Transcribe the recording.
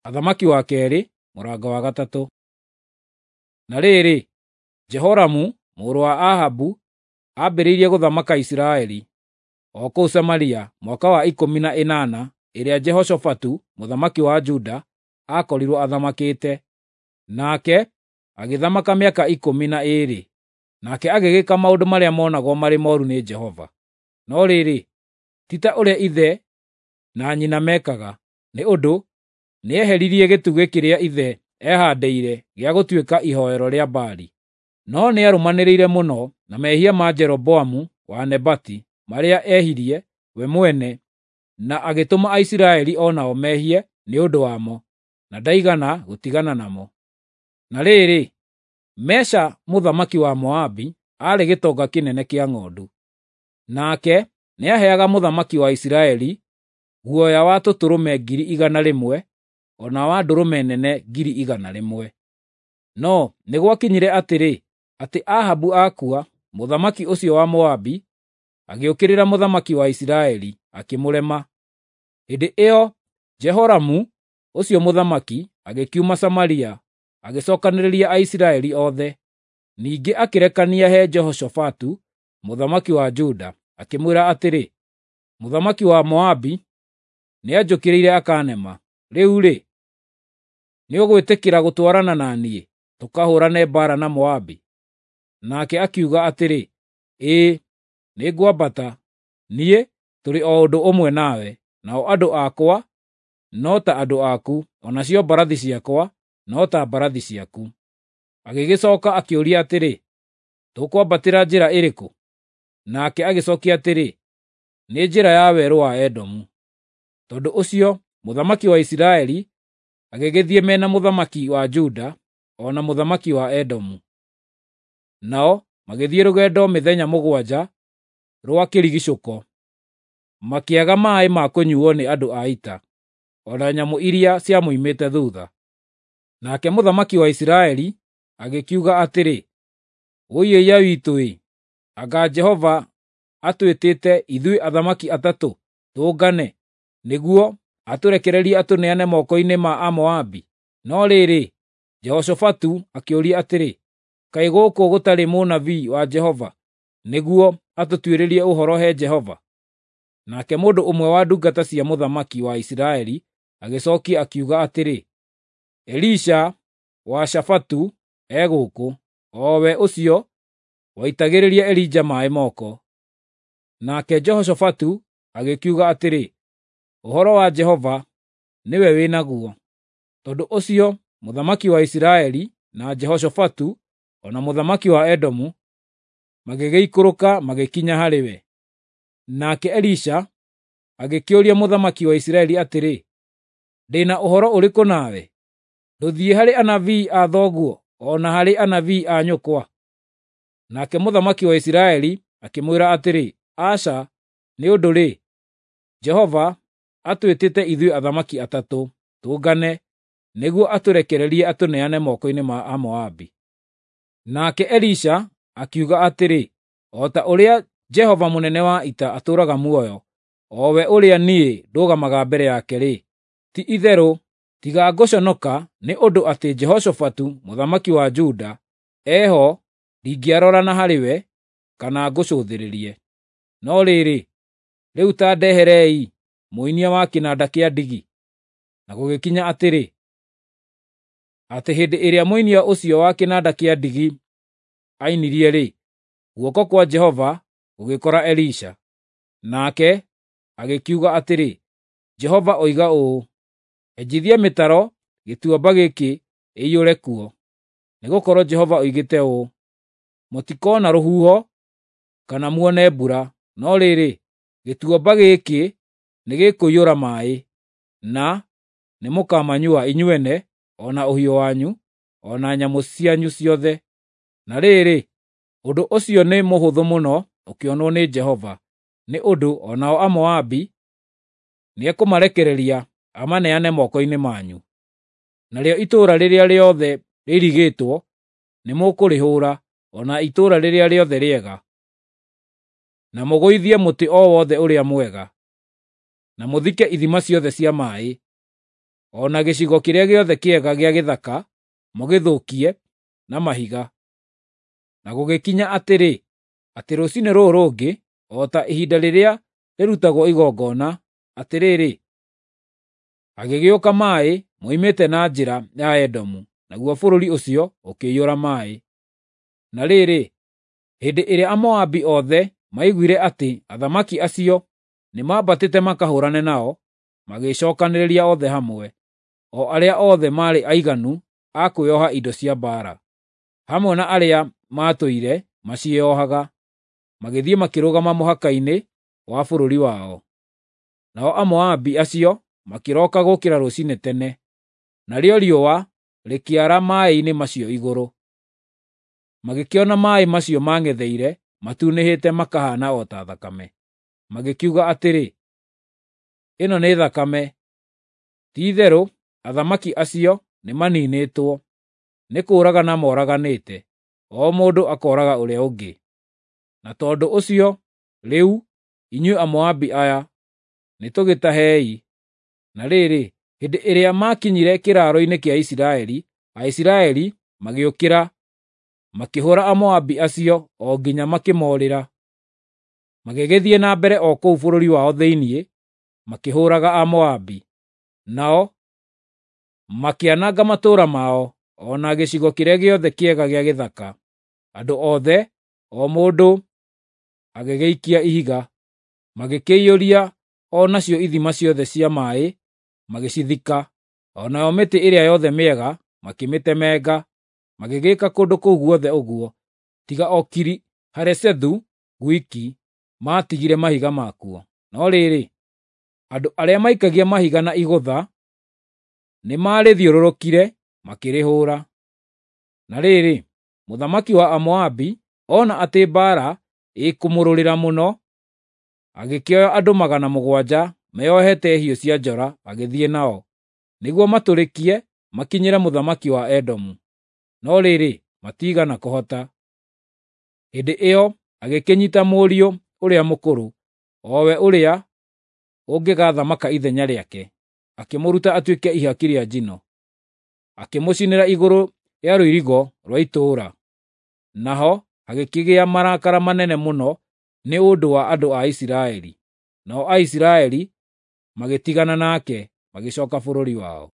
Athamaki wa kerĩ mũrango wa gatatũ. Na rĩrĩ, Jehoramu mũrũ wa Ahabu ambĩrĩirie gũthamaka Isiraeli o kũu Samaria mwaka wa 18 ĩrĩa Jehoshafatu mũthamaki wa Juda aakorirwo athamakĩte. Nake agĩthamaka mĩaka 12. Nake agĩgĩka maũndũ marĩa monagwo marĩ mooru nĩ Jehova. No rĩrĩ, ti ta ũrĩa ithe na nyina meekaga, nĩ ũndũ nĩeheririe gĩtugĩ kĩrĩa ithe ehaandĩire gĩa gũtuĩka ihooero rĩa Baali. No nĩarũmanĩrĩire mũno na mehia ma Jeroboamu wa Nebati marĩa ehirie we mwene na agĩtũma Aisiraeli o nao mehie nĩ ũndũ wamo, na ndaigana gũtigana namo. Na rĩrĩ, Mesha mũthamaki wa Moabi aarĩ gĩtonga kĩnene kĩa ng'ondu. Nake nĩaheaga mũthamaki wa Isiraeli guoya wa tũtũrũme 100,000 o na wa ndũrũme nene 100,000. No nĩ gwakinyire atĩrĩ, atĩ Ahabu akua, mũthamaki ũcio wa Moabi agĩũkĩrĩra mũthamaki wa Isiraeli, akĩmũrema. Hĩndĩ ĩyo Jehoramu ũcio mũthamaki agĩkiuma Samaria agĩcookanĩrĩria Aisiraeli othe. Ningĩ akĩrekania he Jehoshafatu mũthamaki wa Juda, akĩmwĩra atĩrĩ, “Mũthamaki wa Moabi nĩanjũkĩrĩire akaanema. Rĩu-rĩ, nĩũgwĩtĩkĩra gũtwarana na niĩ tũkahũũrane mbaara na Moabi?” Nake akiuga atĩrĩ, “Ĩĩ, nĩngwambata. Niĩ tũrĩ o ũndũ ũmwe nawe, nao andũ akwa no ta andũ aku, o nacio mbarathi ciakwa no ta mbarathi ciaku.” Agĩgĩcooka akĩũria atĩrĩ, “Tũkwambatĩra njĩra ĩrĩkũ?” Nake agĩcookia atĩrĩ, “Nĩ njĩra ya werũ wa Edomu.” Tondũ ũcio mũthamaki wa Isiraeli agĩgĩthiĩ me na mũthamaki wa Juda o na mũthamaki wa Edomu. Nao magĩthiĩ rũgendo mĩthenya 7 rwa kĩrigiicũko, makĩaga maaĩ ma kũnyuuo nĩ andũ a ita, o na nyamũ iria ciamoimĩte thuutha. Nake mũthamaki wa Isiraeli agĩkiuga atĩrĩ, “Wũi-ĩiya-witũ-ĩ! Anga Jehova atwĩtĩte ithuĩ athamaki atatũ tũngane nĩguo atũrekererie atũneane moko-inĩ ma Amoabi?” No rĩrĩ, Jehoshafatu akĩũria atĩrĩ, “Kaĩ gũkũ gũtarĩ mũnabii wa Jehova nĩguo atũtuĩrĩrie ũhoro he Jehova?” Nake mũndũ ũmwe wa ndungata cia mũthamaki wa Isiraeli agĩcookia akiuga atĩrĩ, “Elisha wa Shafatu e gũkũ, o we ũcio waitagĩrĩria Elija maaĩ moko.” Nake Jehoshafatu agĩkiuga atĩrĩ, “Ũhoro wa Jehova nĩwe wĩ naguo.” Tondũ ũcio mũthamaki wa Isiraeli na Jehoshafatu o na mũthamaki wa Edomu magĩgĩikũrũka magĩkinya harĩ we. Nake Elisha agĩkĩũria mũthamaki wa Isiraeli atĩrĩ, “Ndĩ na ũhoro ũrĩkũ nawe? Ndũthiĩ harĩ anabii a thoguo o na harĩ anabii a nyũkwa?” Nake mũthamaki wa Isiraeli akĩmwĩra atĩrĩ, “Aca, nĩ ũndũ-rĩ, Jehova atwĩtĩte ithuĩ athamaki atatũ tũngane nĩguo atũrekererie atũneane moko-inĩ ma Amoabi.” Nake Elisha akiuga atĩrĩ, “O ta ũrĩa Jehova mũnene wa ita atũũraga muoyo, o we ũrĩa niĩ ndũgamaga mbere yake-rĩ, ti-itherũ tiga ngũconoka nĩ ũndũ atĩ Jehoshafatu mũthamaki wa Juda eho ndingĩarora na harĩwe kana ngũcũthĩrĩrie. No rĩrĩ, rĩu ta ndeherei mũinia wa kĩnanda kĩa ndigi.” Na gũgĩkinya atĩrĩ, atĩ hĩndĩ ĩrĩa mũinia ũcio wa kĩnanda kĩa ndigi ainirie-rĩ, guoko kwa Jehova gũgĩkora Elisha. Nake agĩkiuga atĩrĩ, “Jehova oiga ũũ, ‘Enjithia mĩtaro gĩtuamba gĩkĩ ĩiyũre kuo.’ Nĩgũkorwo Jehova oigĩte ũũ, ‘Mũtikoona rũhuho kana muone mbura, no rĩrĩ, gĩtuamba gĩkĩ nĩgĩkũiyũra maaĩ, na nĩmũkamanyua inyuene o na ũhiũ wanyu, o na nyamũ cianyu ciothe.’ Na rĩrĩ, ũndũ ũcio nĩ mũhũthũ mũno ũkĩonwo nĩ Jehova, nĩ ũndũ o nao Amoabi nĩekũmarekereria amaneane moko-inĩ manyu. Narĩo itũũra rĩrĩa rĩothe rĩirigĩtwo nĩmũkũrĩhũũra, o na itũũra rĩrĩa rĩothe rĩega, na mũgũithie mũtĩ o wothe ũrĩa mwega, na mũthike ithima ciothe cia maaĩ. o na gĩcigo kĩrĩa gĩothe kĩega gĩa gĩthaka mũgĩthũkie na mahiga. Na gũgĩkinya atĩrĩ, atĩ rũcinĩ rũrũ rũngĩ, o ta ihinda rĩrĩa rĩrutagwo igongona, atĩrĩrĩ, hagĩgĩũka maaĩ moimĩte na njĩra ya Edomu, naguo bũrũri ũcio ũkĩiyũra maaĩ. Na rĩrĩ, hĩndĩ ĩrĩa Amoabi othe maiguire atĩ athamaki acio nĩmambatĩte makahũũrane nao, magĩĩcookanĩrĩria othe hamwe, o arĩa othe maarĩ aiganu a kwĩoha indo cia mbaara, hamwe na arĩa maatũire maciĩohaga, magĩthiĩ makĩrũgama mũhaka-inĩ wa bũrũri wao. Nao Amoabi acio makĩroka gũũkĩra rũciinĩ tene, narĩo riũa rĩkĩara maaĩ-inĩ macio igũrũ. Magĩkĩona maaĩ macio maang'etheire matunĩhĩte makahaana o ta thakame. Magĩkiuga atĩrĩ, “Ĩno nĩ thakame! Ti-itherũ athamaki acio nĩmaniinĩtwo, nĩ kũũragana moraganĩte, o mũndũ akooraga ũrĩa ũngĩ.” Na tondũ ũcio rĩu, inyuĩ Amoabi aya, nĩtũgĩtahei! Na rĩrĩ, hĩndĩ ĩrĩa maakinyire kĩraaro-inĩ kĩa Isiraeli, Aisiraeli magĩũkĩra, makĩhũũra Amoabi acio o nginya makĩmoorĩra. Magĩgĩthiĩ na mbere o kũu bũrũri wao thĩinĩ, makĩhũũraga Amoabi. Nao makĩananga matũũra mao, o na gĩcigo kĩrĩa gĩothe kĩega gĩa gĩthaka. Andũ othe, o mũndũ agĩgĩikia ihiga, magĩkĩiyũria o nacio ithima ciothe cia maaĩ magĩcithika, o nayo mĩtĩ ĩrĩa yothe mĩega makĩmĩtemenga, magĩgĩka kũndũ kũu guothe ũguo, tiga o Kiri-Haresethu gwiki maatigire mahiga makuo. No rĩrĩ, andũ arĩa maikagia mahiga na igũtha nĩmarĩthiũrũrũkire makĩrĩhũũra. Na rĩrĩ, mũthamaki wa Amoabi ona atĩ mbaara ĩkũmũrũrĩra mũno, agĩkĩoya andũ 700 meeohete hiũ cia njora agĩthiĩ nao, nĩguo matũrĩkie makinyĩre mũthamaki wa Edomu. No rĩrĩ, matiigana kũhota. Hĩndĩ ĩyo agĩkĩnyiita mũriũ ũrĩa mũkũrũ, o we ũrĩa ũngĩgaathamaka ithenya rĩake, akĩmũruta atuĩke ihaki rĩa njino, akĩmũcinĩra igũrũ rĩa rũirigo rwa itũũra. Naho hagĩkĩgĩa marakara manene mũno nĩ ũndũ wa andũ a Isiraeli. Nao Aisiraeli magĩtigana nake, magĩcooka bũrũri wao.